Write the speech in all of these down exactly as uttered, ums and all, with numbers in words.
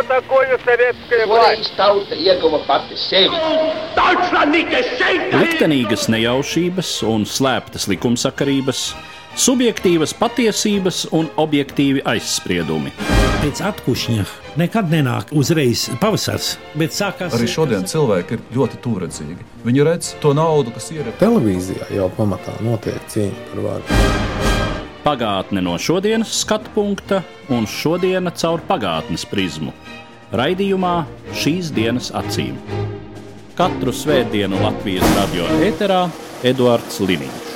такое советская власть? Tauta ieguva pati sevi. Liktenīgas nejaušības un slēptas likumsakarības, subjektīvas patiesības un objektīvi aizspriedumi. Pēc atkušņa nekad nenāk uzreiz pavasars, bet sākās... Arī šodien cilvēki ir ļoti tūredzīgi. Viņi redz to naudu, kas ir... Televīzijā jau pamatā notiek cīņa par varu. Pagātne no šodienas skatu punkta un šodiena caur pagātnes prizmu. Raidījumā Šīs dienas acīm. Katru svētdienu Latvijas radio ēterā Eduards Liniņš.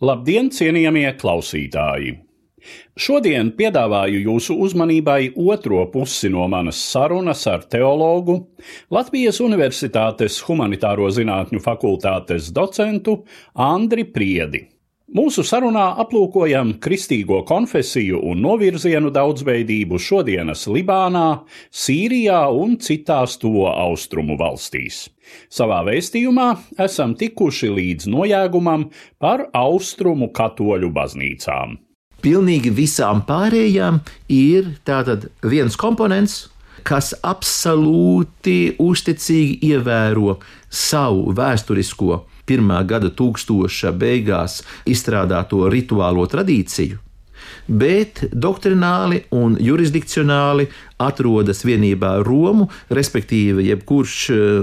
Labdien, cienījamie klausītāji! Šodien piedāvāju jūsu uzmanībai otro pusi no manas sarunas ar teologu, Latvijas Universitātes Humanitāro zinātņu fakultātes docentu Andri Priedi. Mūsu sarunā aplūkojam kristīgo konfesiju un novirzienu daudzveidību šodienas Libānā, Sīrijā un citās tuvo austrumu valstīs. Savā vēstījumā esam tikuši līdz nojēgumam par austrumu katoļu baznīcām. Pilnīgi visām pārējām ir tātad viens komponents, kas absolūti uzticīgi ievēro savu vēsturisko pirmā gada tūkstoša beigās izstrādāto rituālo tradīciju, bet doktrināli un jurisdikcionāli atrodas vienībā ar Romu, respektīvi jebkurš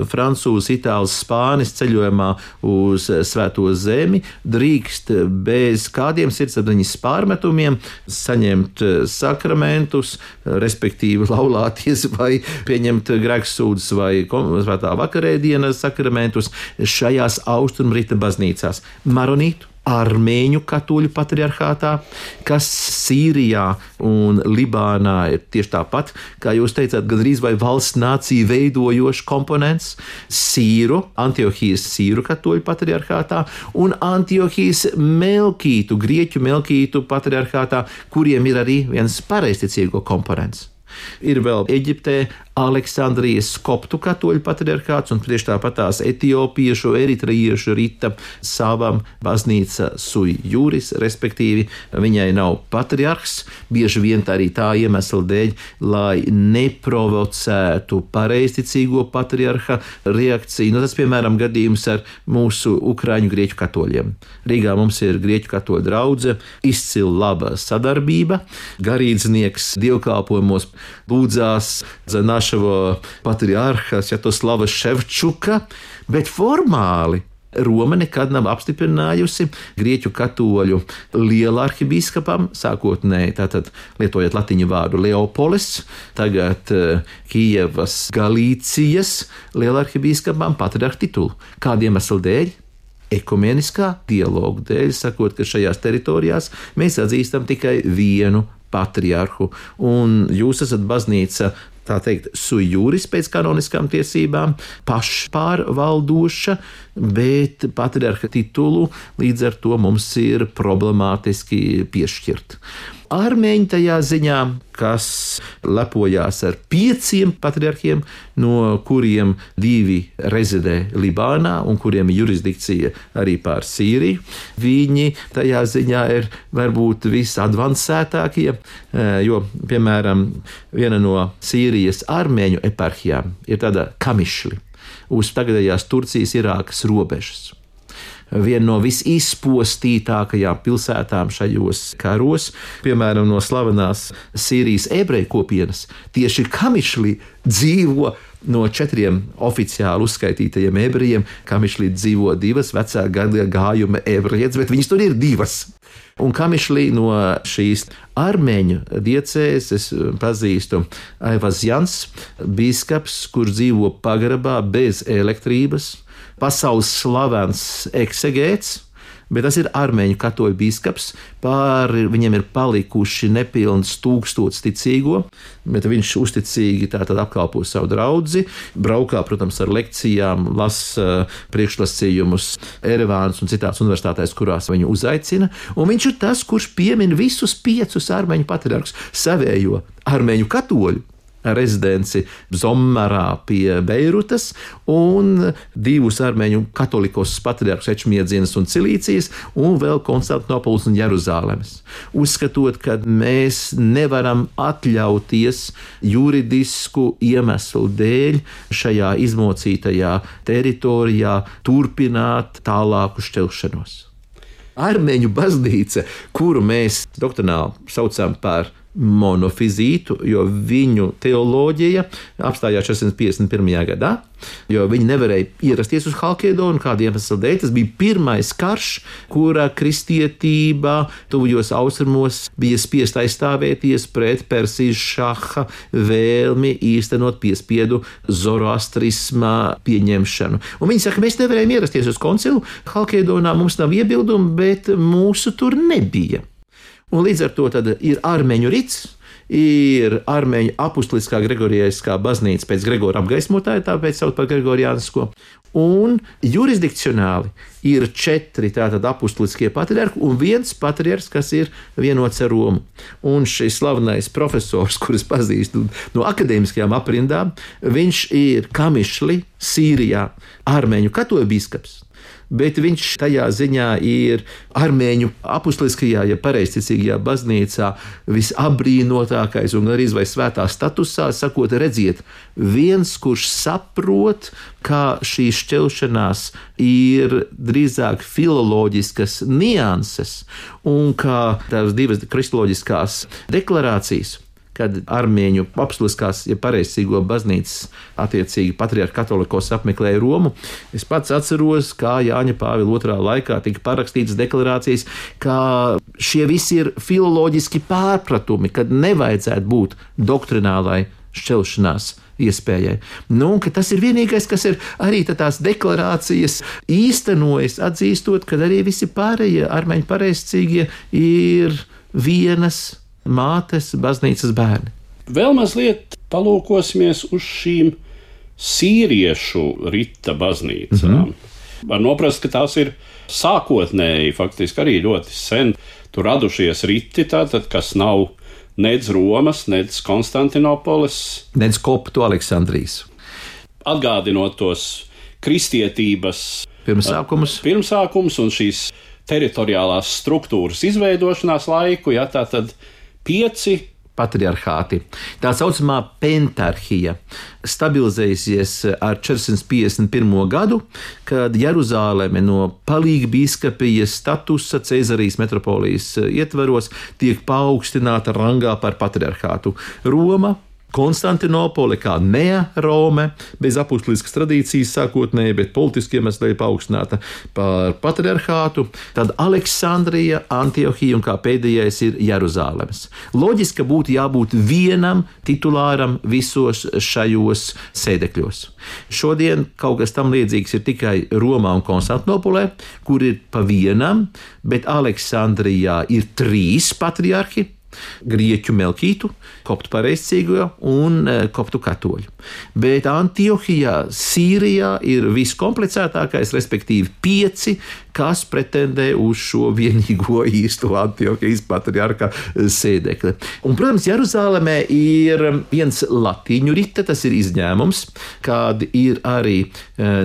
francūzs, itālis, spānis ceļojumā uz Svēto zemi drīkst bez kādiem sirdsapziņas pārmetumiem saņemt sakramentus, respektīvi laulāties vai pieņemt grēksūdzes vai svētā vakarēdienas sakramentus šajās austrumrita baznīcās. Maronītu, armēņu katoļu patriarchātā, kas Sīrijā un Libānā ir tieši tāpat, kā jūs teicāt, gandrīz vai valsts nācija veidojošs komponents, Sīru, Antiohijas Sīru katoļu patriarchātā un Antiohijas Melkītu, Grieķu Melkītu patriarchātā, kuriem ir arī viens pareizticīgo komponents. Ir vēl Eģiptē Aleksandrijas koptu katoļu patriarchāts un tieši tāpat tās etiopiešu, eritrejiešu rita savam baznīca sui juris, respektīvi viņai nav patriarhs, bieži vien arī tā iemesla dēļ, lai neprovocētu pareizticīgo patriarha reakciju. Nu, tas, piemēram, gadījums ar mūsu ukraiņu grieķu katoļiem. Rīgā mums ir grieķu katoļu draudze, izcila laba sadarbība, garīdznieks dievkalpojumos lūdzās za našего patriarha Sviatoslava Ševčuka, bet formāli Roma nekad nav apstiprinājusi grieķu katoļu lielarhibīskapam, sākotnēji tātad lietojot latiņu vārdu Leopolis, tagad Kijevas Galīcijas lielarhibīskapam patriarha titulu. Kādiem iemeslu dēļ? Ekumeniskā dialogu dēļ, sakot, ka šajās teritorijās mēs atzīstam tikai vienu patriarhu, un jūs esat baznīca, tā teikt, sui juris pēc kanoniskām tiesībām, pašpārvaldoša, bet patriarha titulu līdz ar to mums ir problemātiski piešķirt. Armēņi tajā ziņā, kas lepojās ar pieciem patriarhiem, no kuriem divi rezidē Libānā un kuriem ir jurisdikcija arī pār Sīriju. Viņi tajā ziņā ir varbūt visadvancētākie, jo, piemēram, viena no Sīrijas armēņu eparhijām ir tāda Kamišli uz tagadējās Turcijas Irākas robežas. Viena no visizpostītākajām pilsētām šajos karos, piemēram, no slavenās Sīrijas ebreju kopienas, tieši Kamišlī dzīvo no četriem oficiāli uzskaitītajiem ebrejiem. Kamišlī dzīvo divas vecā gada gājuma ebrejietes, bet viņas tur ir divas. Un Kamišlī no šīs armēņu diecēzes pazīstu Aivazjans, bīskaps, kurš dzīvo pagrabā bez elektrības, pasaules slavens eksegēts, bet tas ir armēņu katoļu bīskaps, pāri viņiem ir palikuši nepilns tūkstots ticīgo, bet viņš uzticīgi tātad apkalpo savu draudzi, braukā, protams, ar lekcijām, lasa priekšlasījumus Erevānas un citās universitātēs, kurās viņu uzaicina, un viņš ir tas, kurš piemin visus piecus armēņu patriarhus, savējo armēņu katoļu, rezidenci Zommarā pie Beirutas un divus armēņu katolikos patriarhus Ečmiedzienas un Cilīcijas un vēl Konstantinopolis un Jeruzālemes. Uzskatot, ka mēs nevaram atļauties juridisku iemeslu dēļ šajā izmocītajā teritorijā turpināt tālāku šķelšanos. Armēņu baznīca, kuru mēs doktrināli saucam par monofizītu, jo viņu teoloģija apstājās četrsimt piecdesmit pirmajā gadā, jo viņi nevarēja ierasties uz Halkēdonu kādu iemeslu dēļ. Tas bija pirmais karš, kurā kristietība tuvajos austrumos bija spiest aizstāvēties pret Persijas šaha vēlmi īstenot piespiedu zoroastrisma pieņemšanu. Un viņi saka, mēs nevarējām ierasties uz koncilu Halkēdonā, mums nav iebildumu, bet mūsu tur nebija. Un līdz ar to tad ir armēņu rits, ir armēņu apustuliskā Gregorijiskā baznīca pēc Gregora apgaismotāja, tāpēc sauc par Gregoriānisko, un jurisdikcionāli ir četri tātad apustuliskie patriarhi un viens patriarhs, kas ir vienots ar Romu. Un šis slavenais profesors, kurus pazīstu no akadēmiskajām aprindām, viņš ir Kamišli, Sīrijā, armēņu katoļu bīskaps. Bet viņš tajā ziņā ir armēņu apustuliskajā, ja pareizticīgajā baznīcā visabrīnotākais un arī vai svētā statusā, sakot, redziet, viens, kurš saprot, ka šī šķelšanās ir drīzāk filoloģiskas nianses un ka tās divas kristoloģiskās deklarācijas, kad armēņu apustuliskās, ja pareizcīgo baznīcas attiecīgi patriarha katolikos apmeklēja Romu. Es pats atceros, kā Jāņa Pāvila otrā laikā tika parakstītas deklarācijas, ka šie visi ir filoloģiski pārpratumi, kad nevajadzētu būt doktrinālai šķelšanās iespējai. Nu, ka tas ir vienīgais, kas ir arī tās deklarācijas īstenojas, atzīstot, ka arī visi pārējie armēņu pareizcīgie ir vienas mātes baznīcas bērni. Vēl mazliet palūkosimies uz šīm sīriešu rita baznīcām. Mm-hmm. Var noprast, ka tās ir sākotnēji, faktiski arī ļoti sen tur radušies riti, tātad, kas nav nec Romas, nec Konstantinopolis, nec Koptu Aleksandrijas. Atgādinot tos kristietības pirmsākumus, pirmsākumus un šīs teritoriālās struktūras izveidošanās laiku, ja tā tad pieci patriarhāti. Tā saucamā pentarhija stabilizējusies ar četrsimt piecdesmit pirmo gadu, kad Jeruzāleme no palīgbīskapijas statusa Cēzarijas metropolijas ietvaros tiek paaugstināta rangā par patriarhātu. Roma, Konstantinopole kā Nea Rome, bez apustuliskas tradīcijas sākotnēji, bet politiskiem iemesliem paaugstināta par patriarhātu, tad Aleksandrija, Antiohija un kā pēdējais ir Jeruzālemes. Loģiski, ka būtu jābūt vienam titulāram visos šajos sēdekļos. Šodien kaut kas tam līdzīgs ir tikai Romā un Konstantinopolē, kur ir pa vienam, bet Aleksandrijā ir trīs patriarhi, grieķu Melkītu, koptu pareizcīgo un koptu katoļu. Bet Antiohijā, Sīrijā ir viskomplicētākais, respektīvi pieci, kas pretendē uz šo vienīgo īsto Antiohijas patriarha sēdekli. Un, protams, Jeruzālemē ir viens latīņu rita, tas ir izņēmums, kad ir arī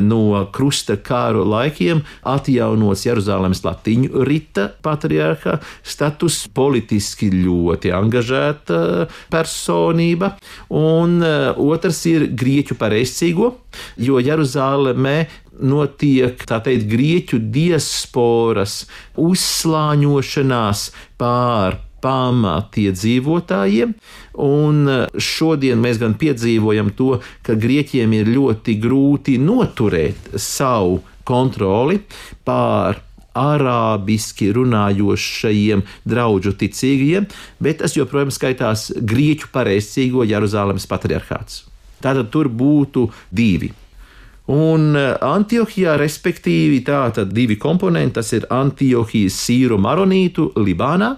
no krusta kāru laikiem atjaunots Jeruzālemes latīņu rita patriarha status, politiski ļoti angažēta personība, un otrs ir grieķu pareizcīgo, jo Jeruzālemē notiek, tā teikt, grieķu diasporas uzslāņošanās pār pamatiedzīvotājiem, un šodien mēs gan piedzīvojam to, ka grieķiem ir ļoti grūti noturēt savu kontroli pār arābiski runājošajiem draudžu ticīgajiem, bet tas joprojām skaitās grieķu pareizcīgo Jeruzālemes patriarhāts. Tātad tur būtu divi. Un Antiohijā, respektīvi, tātad divi komponenti, tas ir Antiohijas sīru maronītu Libānā,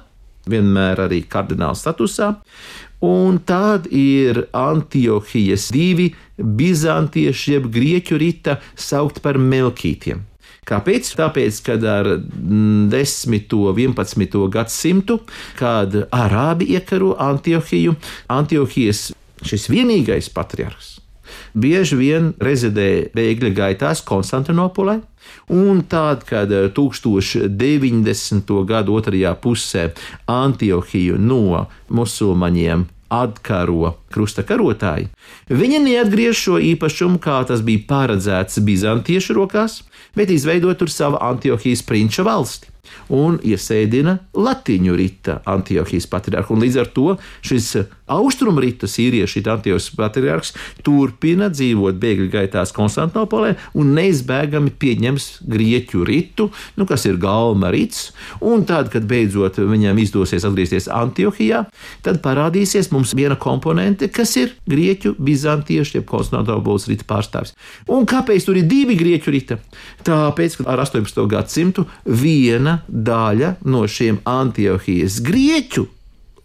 vienmēr arī kardināla statusā, un tad ir Antiohijas divi bizantieši jeb grieķu rita saukt par melkītiem. Kāpēc? Tāpēc, kad ar desmito, vienpadsmito gadsimtu, kad arābi iekaro Antiohiju, Antiohijas šis vienīgais patriarhs, bieži vien rezidēja bēgļu gaitās Konstantinopolē, un tad, kad tūkstoš deviņdesmito gadu otrajā pusē Antiohiju no musulmaņiem atkaro krusta karotāji, viņi neatgriež šo īpašumu, kā tas bija paredzēts bizantiešu rokās, bet izveido tur savu Antiohijas prinča valsti un iesēdina latiņu rita Antiohijas patriarhu. Un līdz ar to šis austrumu rita sīriešu Antiohijas patriarhs turpina dzīvot bēgļu gaitās Konstantinopolē un neizbēgami pieņems grieķu ritu, nu, kas ir galma rits, un tad, kad beidzot viņam izdosies atgriezties Antiohijā, tad parādīsies mums viena komponente, kas ir grieķu bizantiešu, jeb Konstantinopoles rita pārstāvis. Un kāpēc tur ir divi grieķu rita? Tāpēc, ka ar astoņpadsmito gadsimtu viena daļa no šiem Antiohijas grieķu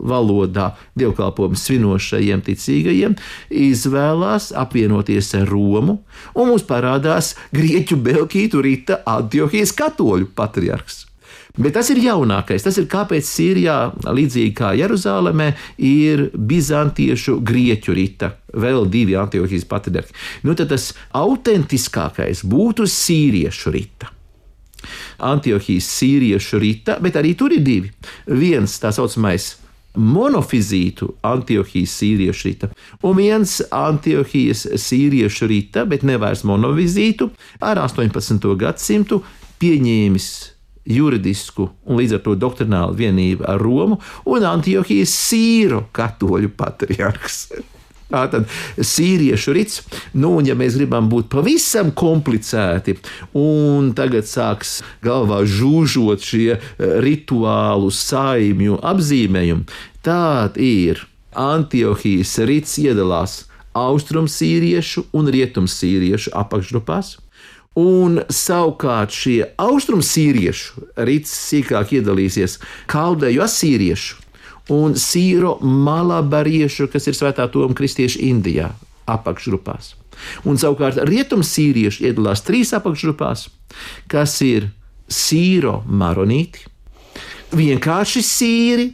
valodā dievkalpojumu svinošajiem ticīgajiem izvēlās apvienoties ar Romu, un mums parādās grieķu belkītu rita Antiohijas katoļu patriarhs. Bet tas ir jaunākais, tas ir kāpēc Sīrijā, līdzīgi kā Jeruzālemē, ir bizantiešu grieķu rita, vēl divi Antiohijas patriarhi. Nu tad tas autentiskākais būtu sīriešu rita. Antiohijas sīriešu rita, bet arī tur ir divi. Viens tā saucamais monofizītu Antiohijas sīriešu rita, un viens Antiohijas sīriešu rita, bet nevairs monofizītu, ar astoņpadsmito gadsimtu pieņēmis juridisku un līdz ar to doktrinālu vienību ar Romu un Antiohijas sīro katoļu patriarhs. Tātad sīriešu rits, nu, un ja mēs gribam būt pavisam komplicēti, un tagad sāks galvā žūžot šie rituālu saimju apzīmējumi, tād ir Antiohijas rits iedalās austrum sīriešu un rietum sīriešu apakšgrupās, un savukārt šie austrum sīriešu rits sīkāk iedalīsies kaldeju asīriešu un sīro malabariešu, kas ir svētā Toma kristieši Indijā, apakšgrupās. Un savukārt rietum sīrieši iedalās trīs apakšgrupās, kas ir sīro maronīti, vienkārši sīri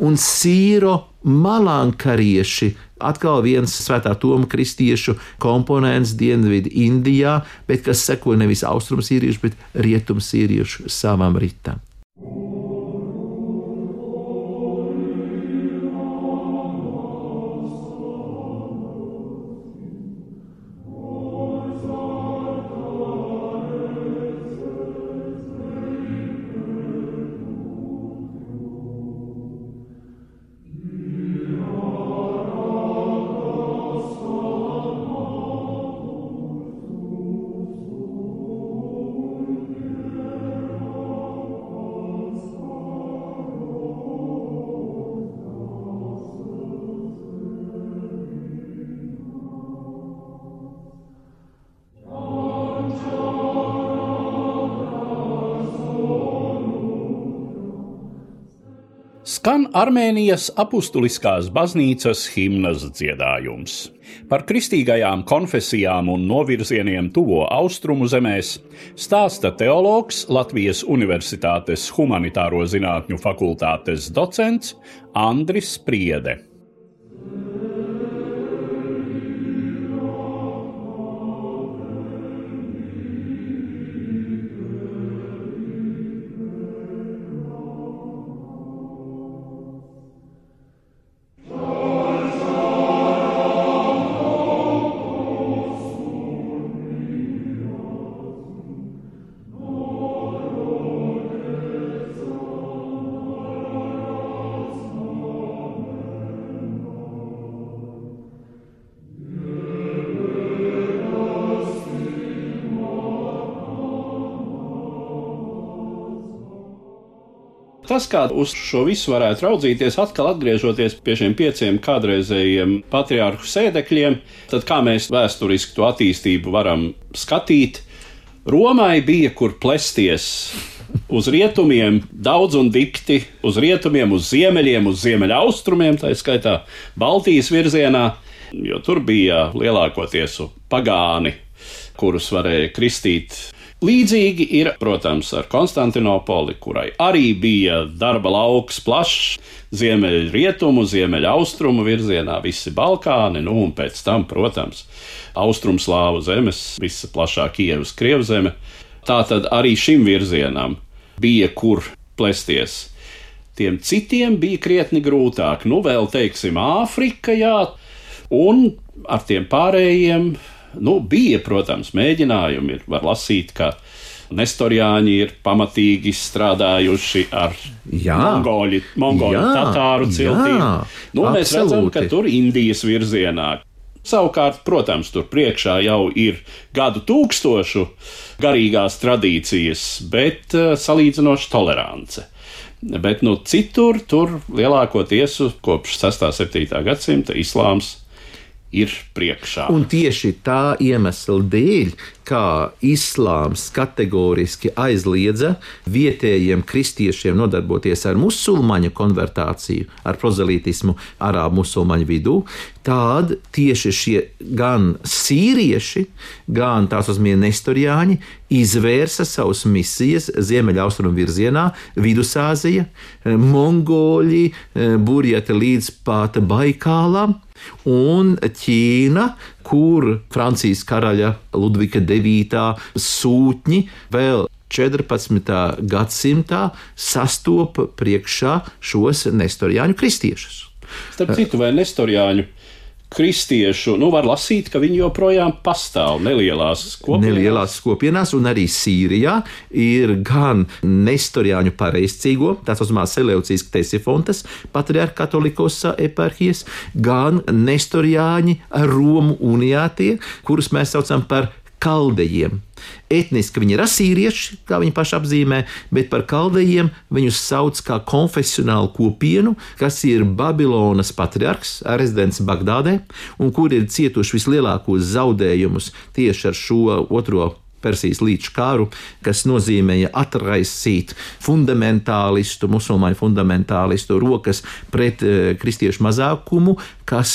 un sīro malankarieši, atkal viens svētā Toma kristiešu komponents dienvidu Indijā, bet kas seko nevis austrum sīriešu, bet rietum sīriešu savam ritam. Skan Armēnijas apustuliskās baznīcas himnas dziedājums. Par kristīgajām konfesijām un novirzieniem tuvo austrumu zemēs stāsta teologs, Latvijas Universitātes humanitāro zinātņu fakultātes docents Andris Spriede. Tas, kā uz šo visu varētu raudzīties, atkal atgriežoties pie šiem pieciem kādreizējiem patriarhu sēdekļiem, tad kā mēs vēsturiski to attīstību varam skatīt? Romai bija kur plesties uz rietumiem daudz un dikti, uz rietumiem, uz ziemeļiem, uz ziemeļaustrumiem, tā skaitā Baltijas virzienā, jo tur bija lielākoties pagāni, kurus varēja kristīt Līdzīgi ir, protams, ar Konstantinopoli, kurai arī bija darba lauks plašs, ziemeļu rietumu, ziemeļu austrumu virzienā, visi Balkāni, nu un pēc tam, protams, austrumslāvu zemes, visa plašā Kievas Krievzeme. Tātad arī šim virzienam bija kur plesties. Tiem citiem bija krietni grūtāk, nu vēl teiksim Āfrika, jā, un ar tiem pārējiem, nu bija, protams, mēģinājumi, ir, var lasīt, ka Nestorjāņi ir pamatīgi strādājuši ar jā, mongoļu, mongoļu jā, tatāru ciltīm. Jā, nu, mēs redzam, ka tur Indijas virzienā. Savukārt, protams, tur priekšā jau ir gadu tūkstošu garīgās tradīcijas, bet uh, salīdzinoši tolerance. Bet nu, citur, tur lielākoties kopš sestā septītā gadsimta islāms ir priekšā. Un tieši tā iemesla dēļ, kā islāms kategoriski aizliedza vietējiem kristiešiem nodarboties ar musulmaņu konvertāciju, ar prozelītismu arābu musulmaņu vidū, tad tieši šie gan sīrieši, gan tās uzmie nestorjāņi izvērsa savus misijas ziemeļaustrumu virzienā, Vidusāzija, Mongoļi, burjati līdz pat Baikālam, un Ķīna, kur Francijas karaļa Ludvika devītā sūtņi vēl četrpadsmitā gadsimtā sastopa priekšā šos nestorjāņu kristiešus. Starp citu, vai nestorjāņu kristiešu, nu var lasīt, ka viņi joprojām pastāv nelielās kopienās. Nelielās kopienās, un arī Sīrijā ir gan nestorjāņu pareizcīgo, tās uzmā Seleucijas Ktesifontas, patriarha katolikosa eparhijas, gan nestorjāņi Romu uniātie, kurus mēs saucam par kaldejiem. Etniski viņi ir asīrieši, kā viņi paši apzīmē, bet par kaldejiem viņus sauc kā konfesionālu kopienu, kas ir Babilonas patriarhs, rezidents Bagdādē, un kur ir cietuši vislielākos zaudējumus tieši ar šo otro Persijas līča kāru, kas nozīmēja atraisīt fundamentālistu, musulmaņu fundamentālistu rokas pret e, kristiešu mazākumu, kas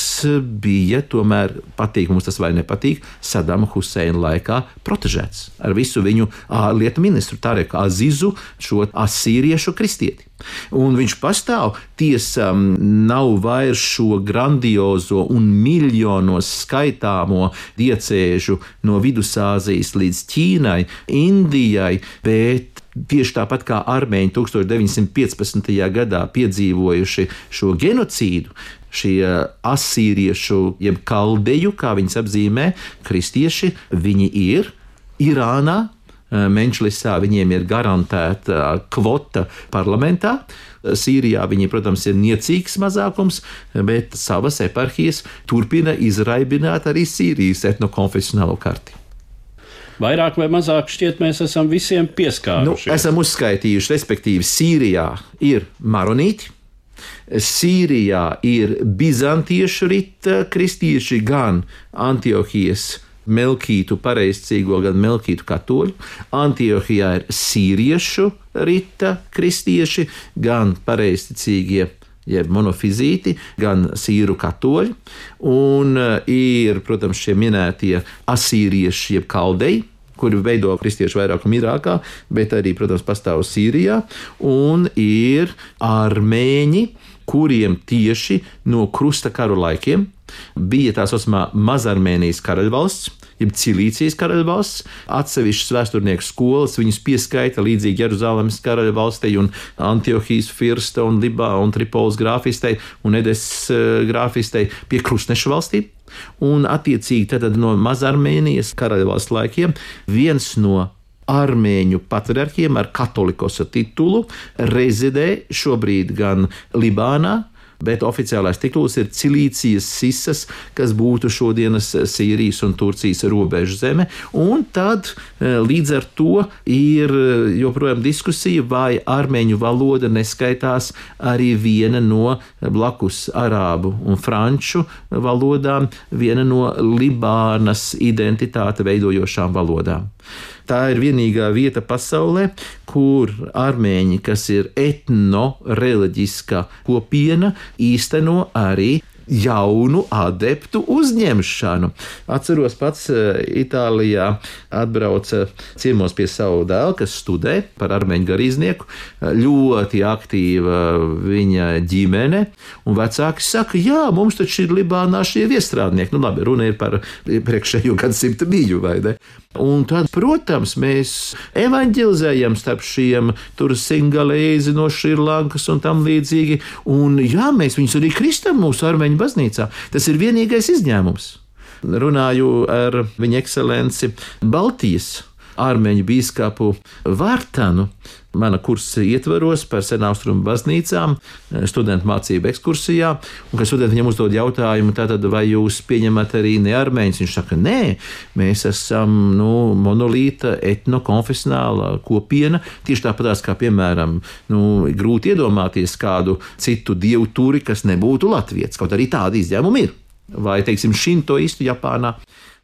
bija tomēr, patīk mums tas vai nepatīk, Sadama Huseina laikā protežēts ar visu viņu ārlietu ministru Tareku Azizu, šo asīriešu kristieti. Un viņš pastāv, tiesa nav vairs šo grandiozo un miljonos skaitāmo diecēžu no Vidusāzijas līdz Ķīnai, Indijai, bet tieši tāpat kā armēņi tūkstoš deviņsimt piecpadsmitajā gadā piedzīvojuši šo genocīdu, šie asīriešu, jeb kaldeju, kā viņas apzīmē, kristieši, viņi ir Irānā, Menšlisā viņiem ir garantēta kvota parlamentā. Sīrijā viņi, protams, ir niecīgs mazākums, bet savas eparhijas turpina izraibināt arī Sīrijas etnokonfesionālo karti. Vairāk vai mazāk šķiet mēs esam visiem pieskārušies. Nu, esam uzskaitījuši, respektīvi Sīrijā ir maronīti, Sīrijā ir bizantiešu rita kristieši, gan Antiohijas melkītu pareizcīgo, gan melkītu katoļu. Antiohijā ir sīriešu rita kristieši, gan pareizticīgie, jeb monofizīti, gan sīru katoļi. Un ir, protams, šie minētie asīrieši, jeb kaldeji, kuri veido kristiešu vairākumu Irākā, bet arī, protams, pastāv Sīrijā. Un ir armēņi, kuriem tieši no krusta karu laikiem bija tā saucamā Mazarmēnijas karaļvalsts, jeb Cilīcijas karaļvalsts. Atsevišķas vēsturnieku skolas viņus pieskaita līdzīgi Jeruzalemes karaļvalstei un Antiohijas firsta un Libā un Tripolis grāfistei un Edes grāfistei pie krustnešu valstīm. Un attiecīgi tad no Mazarmēnijas karaļvalsts laikiem viens no armēņu patriarhiem ar katolikosa titulu rezidē šobrīd gan Libānā, bet oficiālais tituls ir Cilīcijas Sisas, kas būtu šodienas Sīrijas un Turcijas robežu zeme. Un tad līdz ar to ir joprojām diskusija, vai armēņu valoda neskaitās arī viena no blakus arābu un franču valodām, viena no Libānas identitāte veidojošām valodām. Tā ir vienīgā vieta pasaulē, kur armēņi, kas ir etno-reliģiska kopiena, īsteno arī jaunu adeptu uzņemšanu. Atceros pats Itālijā atbrauca ciemos pie savu dēlu, kas studē par armeņu garīdznieku, ļoti aktīva viņa ģimene, un vecāki saka, jā, mums taču ir Libānā šie viestrādnieki. Nu labi, runa ir par priekšējo gadsimta mīļu, vai ne? Un tad, protams, mēs evaņģelizējam starp šiem tur singalēzi no Šrilankas un tam līdzīgi, un jā, mēs viņus arī kristam mūsu armeņu baznīcā. Tas ir vienīgais izņēmums. Runāju ar viņa ekscelenci Baltijas armeņu bīskapu Vārtanu, mana kursa ietvaros par senaustrumu baznīcām, studentu mācību ekskursijā, un kad studenti viņam uzdod jautājumu, tātad vai jūs pieņemat arī nearmeņus, viņš saka, nē, mēs esam, nu, monolīta etnokonfesionāla kopiena, tieši tāpatās kā, piemēram, nu, grūti iedomāties kādu citu dievu turi, kas nebūtu latvietis, kaut arī tādi izņēmumi ir, vai, teiksim, šintoistu Japānā,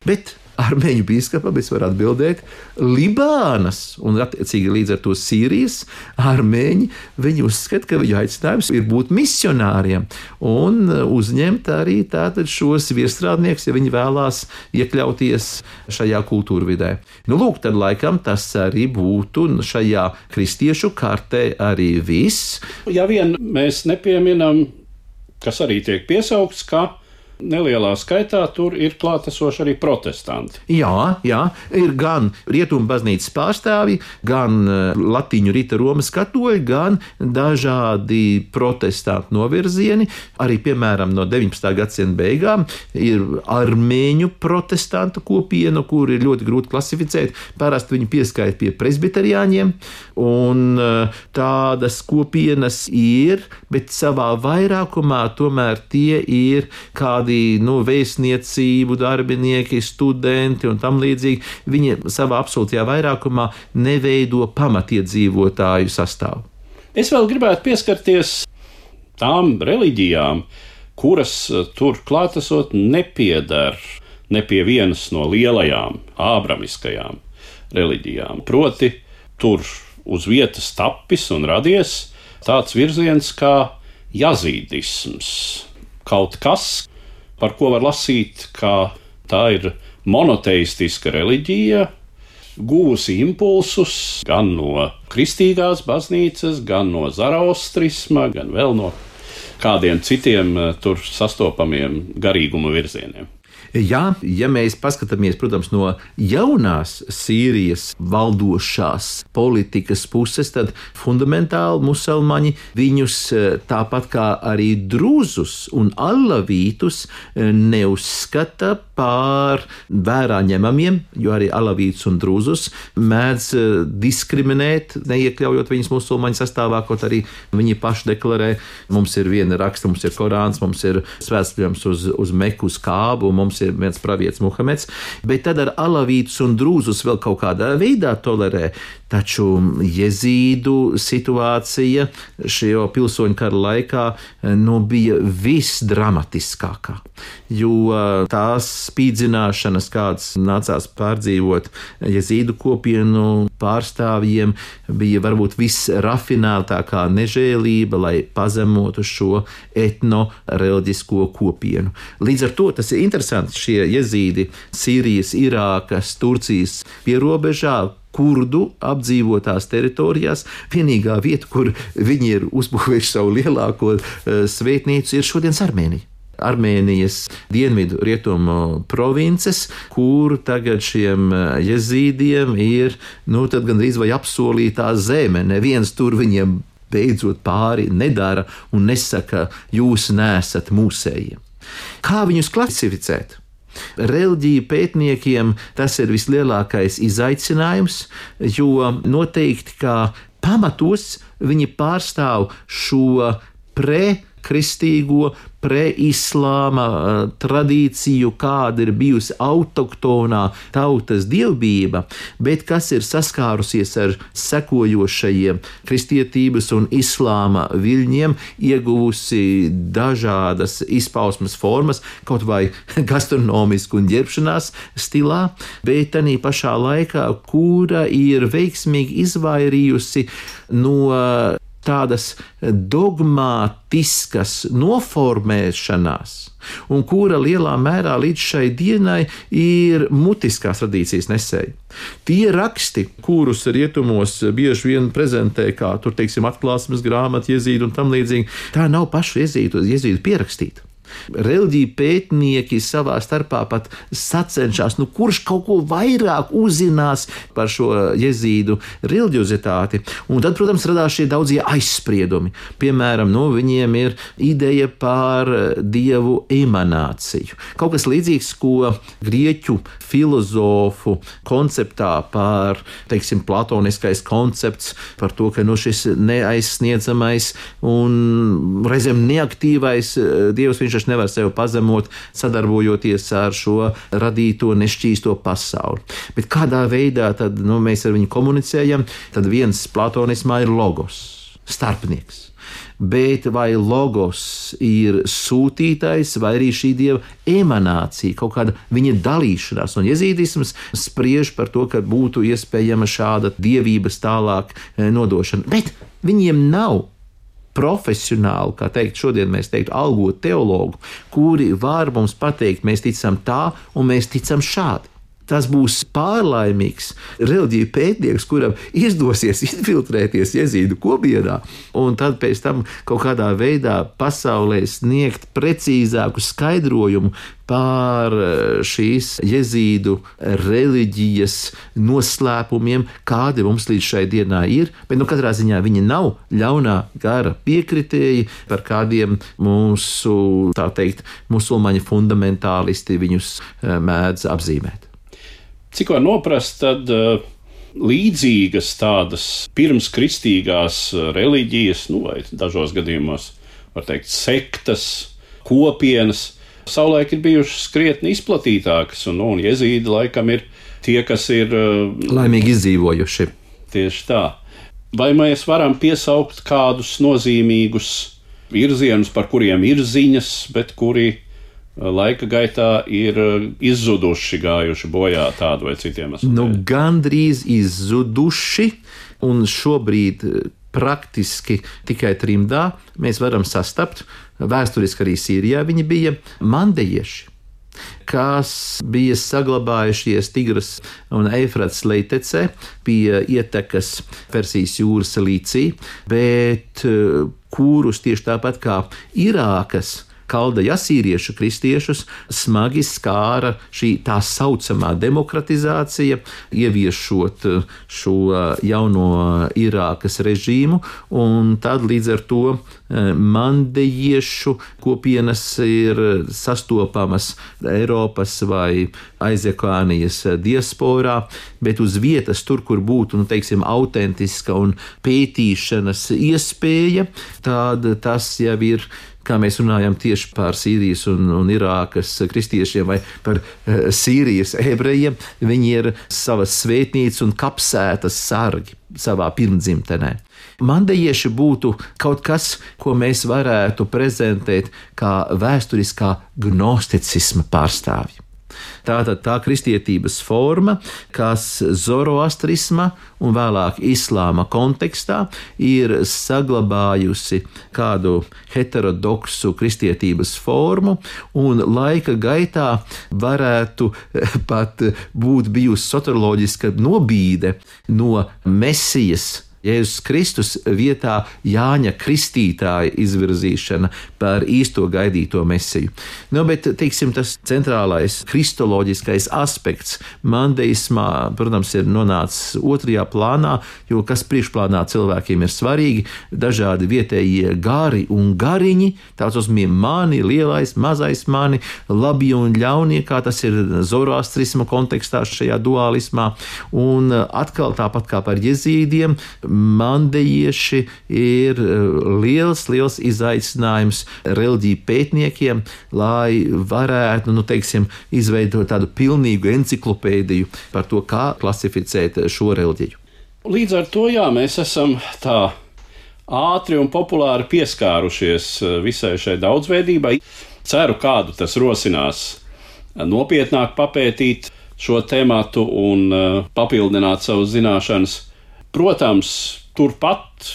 bet armeņu bīskapam es varu atbildēt, Libānas un attiecīgi līdz ar to Sīrijas armeņi, viņi uzskata, ka viņu aicinājums ir būt misionāriem un uzņemt arī tātad šos viestrādniekus, ja viņi vēlās iekļauties šajā kultūrvidē. Nu, lūk, tad laikam tas arī būtu šajā kristiešu kartē arī viss. Ja vien mēs nepieminam, kas arī tiek piesaukts, ka nelielā skaitā tur ir klātesoši arī protestanti. Jā, jā, ir gan rietumu baznīcas pārstāvji, gan latīņu rita Romas katoļi, gan dažādi protestantu novirzieni. Arī, piemēram, no deviņpadsmitā gadsimta beigām ir armēņu protestantu kopiena, kur ir ļoti grūti klasificēt. Parasti viņi pieskaita pie presbiteriāņiem, un tādas kopienas ir, bet savā vairākumā tomēr tie ir kādi nu, vēstniecību darbinieki, studenti un tam līdzīgi. Viņi savā absolūtajā vairākumā neveido pamatiedzīvotāju sastāvu. Es vēl gribētu pieskarties tām reliģijām, kuras tur klātesot nepiedar ne pie vienas no lielajām ābramiskajām reliģijām. Proti, tur uz vietas tapis un radies tāds virziens kā jazīdisms. Kaut kas, par ko var lasīt, ka tā ir monoteistiska reliģija, guvusi impulsus gan no kristīgās baznīcas, gan no zaraustrisma, gan vēl no kādiem citiem tur sastopamiem garīguma virzieniem. Jā, ja mēs paskatāmies, protams, no jaunās Sīrijas valdošās politikas puses, tad fundamentāli musulmaņi viņus tāpat kā arī drūzus un alavītus neuzskata par vērā ņemamiem, jo arī alavītus un drūzus mēdz diskriminēt, neiekļaujot viņus musulmaņu sastāvā, kaut arī viņi paši deklarē, mums ir viena raksta, mums ir Korāns, mums ir svētceļojums uz, uz Meku, uz Kābu, mums ir viens pravietis Muhameds, bet tad ar alavītus un drūzus vēl kaut kādā veidā tolerē. Taču jezīdu situācija šajā pilsoņu kara laikā nu, bija visdramatiskākā, jo tās spīdzināšanas, kādas nācās pārdzīvot jezīdu kopienu pārstāvjiem, bija varbūt visrafinētākā nežēlība, lai pazemotu šo etno-reliģisko kopienu. Līdz ar to tas ir interesanti, šie jezīdi Sīrijas, Irākas, Turcijas pierobežā, kurdu apdzīvotās teritorijās. Vienīgā vieta, kur viņi ir uzbūvējuši savu lielāko svētnīcu, ir šodienas Armēnija. Armēnijas dienvidu rietumu provinces, kur tagad šiem jezīdiem ir, nu, tad gandrīz vai apsolītā zeme. Neviens tur viņiem beidzot pāri nedara un nesaka, jūs neesat mūsējie. Kā viņus klasificēt? Reliģiju pētniekiem tas ir vislielākais izaicinājums, jo noteikti kā pamatos viņi pārstāv šo pre-kristīgo, pre-islāma tradīciju, kāda ir bijusi autoktonā tautas dievbijība, bet kas ir saskārusies ar sekojošajiem kristietības un islāma viļņiem, ieguvusi dažādas izpausmes formas, kaut vai gastronomisku un ģērbšanās stilā, bet arī pašā laikā, kura ir veiksmīgi izvairījusi no tādas dogmātiskas noformēšanās, un kura lielā mērā līdz šai dienai ir mutiskās tradīcijas nesēji. Tie raksti, kurus rietumos bieži vien prezentē kā tur, teiksim, atklāsmes grāmata, jezīdu un tam līdzīgi, tā nav pašu jezīdu, jezīdu pierakstīta. Reliģiju pētnieki savā starpā pat sacenšas, nu kurš kaut ko vairāk uzzinās par šo jezīdu reliģiozitāti. Un tad, protams, radās šie daudzie aizspriedumi. Piemēram, nu, viņiem ir ideja par dievu emanāciju. Kaut kas līdzīgs, ko grieķu filozofu konceptā par, teiksim, platoniskais koncepts, par to, ka nu, šis neaizsniedzamais un reizēm neaktīvais dievs, viņš nevar sevi pazemot, sadarbojoties ar šo radīto nešķīsto pasauli. Bet kādā veidā tad, nu, mēs ar viņu komunicējam? Tad viens platonismā ir logos, starpnieks. Bet vai logos ir sūtītais, vai arī šī dieva emanācija, kaut kāda viņa dalīšanās? Un jezīdisms spriež par to, ka būtu iespējama šāda dievības tālāk nodošana. Bet viņiem nav profesionāli, kā teikt, šodien mēs teiktu, algotu teologu, kuri var mums pateikt, mēs ticam tā un mēs ticam šādi. Tas būs pārlaimīgs reliģiju pētnieks, kuram izdosies infiltrēties jezīdu kopienā, un tad pēc tam kaut kādā veidā pasaulē sniegt precīzāku skaidrojumu par šīs jezīdu reliģijas noslēpumiem, kādi mums līdz šai dienā ir, bet nu katrā ziņā viņi nav ļaunā gara piekritēji, par kādiem mūsu, tā teikt, musulmaņu fundamentālisti viņus mēdz apzīmēt. Cik var noprast, tad uh, līdzīgas tādas pirmskristīgās reliģijas, nu vai dažos gadījumos, var teikt, sektas, kopienas, savulaik ir bijušas krietni izplatītākas, un, un jezīdi laikam ir tie, kas ir uh, laimīgi izdzīvojuši. Tieši tā. Vai mēs varam piesaukt kādus nozīmīgus virzienus, par kuriem ir ziņas, bet kuri laika gaitā ir izzuduši, gājuši bojā tādu vai citiem aspektiem? Nu, gandrīz izzuduši, un šobrīd praktiski tikai trimdā mēs varam sastapt, vēsturiski arī Sīrijā viņi bija mandejieši, kas bija saglabājušies Tigras un Eifrats leitecē pie ietekas Persijas jūras līcī, bet kurus tieši tāpat kā Irākas kaldeja asīriešu kristiešus smagi skāra šī tā saucamā demokratizācija, ieviešot šo jauno Irākas režīmu, un tad līdz ar to mandejiešu kopienas ir sastopamas Eiropas vai Aizekānijas diasporā, bet uz vietas tur, kur būtu, nu, teiksim, autentiska un pētīšanas iespēja, tad tas jau ir, kā mēs runājam tieši par Sīrijas un, un Irākas kristiešiem vai par uh, Sīrijas ebrejiem, viņi ir savas svētnīcas un kapsētas sargi savā pirmdzimtenē. Mandejieši būtu kaut kas, ko mēs varētu prezentēt kā vēsturiskā gnosticisma pārstāvji. Tātad tā kristietības forma, kas zoroastrisma un vēlāk islāma kontekstā ir saglabājusi kādu heterodoksu kristietības formu un laika gaitā varētu pat būt bijusi soterioloģiska nobīde no Mesijas Jēzus Kristus vietā Jāņa Kristītāja izvirzīšana par īsto gaidīto mesiju. Nu, bet, teiksim, tas centrālais kristoloģiskais aspekts mandeismā, protams, ir nonācis otrajā plānā, jo kas priekšplānā cilvēkiem ir svarīgi, dažādi vietējie gari un gariņi, tāds uzmiem mani, lielais, mazais mani, labie un ļaunie, kā tas ir zoroastrisma kontekstā šajā dualismā, un atkal tāpat kā par jezīdiem, mandejieši ir liels, liels izaicinājums reliģiju pētniekiem, lai varētu, nu, teiksim, izveidot tādu pilnīgu enciklopēdiju par to, kā klasificēt šo reliģiju. Līdz ar to, jā, mēs esam tā ātri un populāri pieskārušies visai šai daudzveidībai. Ceru, kādu tas rosinās nopietnāk papētīt šo tematu un papildināt savas zināšanas. Protams, turpat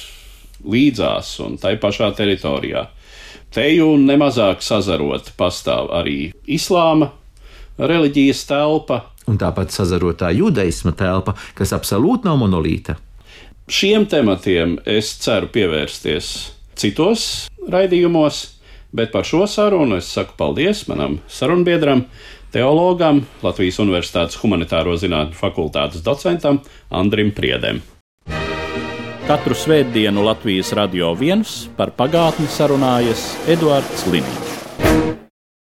līdzās un tai pašā teritorijā. Teju nemazāk sazarot pastāv arī islāma reliģijas telpa. Un tāpat sazarotā judaisma telpa, kas absolūti nav monolīta. Šiem tematiem es ceru pievērsties citos raidījumos, bet par šo sarunu es saku paldies manam sarunbiedram, teologam, Latvijas Universitātes humanitāro zinātņu fakultātes docentam Andrim Priedem. Katru svētdienu Latvijas Radio viens par pagātni sarunājas Eduards Liniņš.